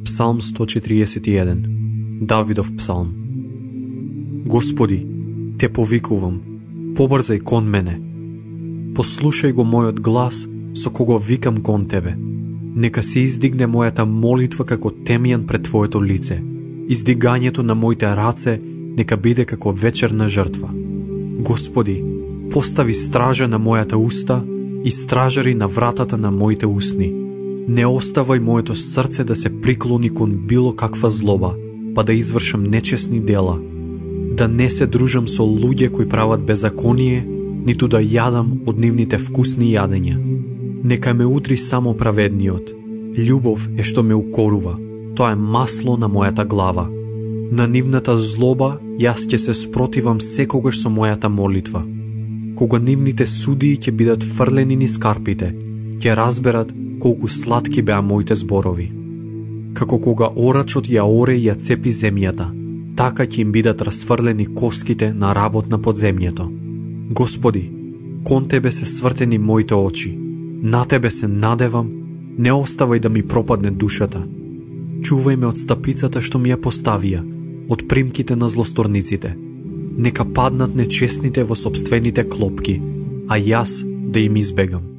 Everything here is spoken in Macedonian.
Псалм 141. Давидов псалм. Господи, те повикувам, побрзај кон мене. Послушај го мојот глас со кого викам кон Тебе. Нека се издигне мојата молитва како темјан пред Твоето лице. Издигањето на моите раце нека биде како вечерна жртва. Господи, постави стража на мојата уста и стражари на вратата на моите усни. Не оставај моето срце да се приклони кон било каква злоба, па да извршам нечесни дела. Да не се дружам со луѓе кои прават беззаконие, ниту да јадам од нивните вкусни јадења. Нека ме утри само праведниот. Љубов е што ме укорува, тоа е масло на мојата глава. На нивната злоба јас ќе се спротивам секогаш со мојата молитва. Кога нивните судии ќе бидат фрлени низ карпите, ќе разберат колку сладки беа моите зборови. Како кога орачот ја оре и ја цепи земјата, така ќе им бидат расфрлени коските на работ на подземјето. Господи, кон Тебе се свртени моите очи, на Тебе се надевам, не оставај да ми пропадне душата. Чувај ме од стапицата што ми ја поставија, од примките на злосторниците. Нека паднат нечесните во сопствените клопки, а јас да им избегам.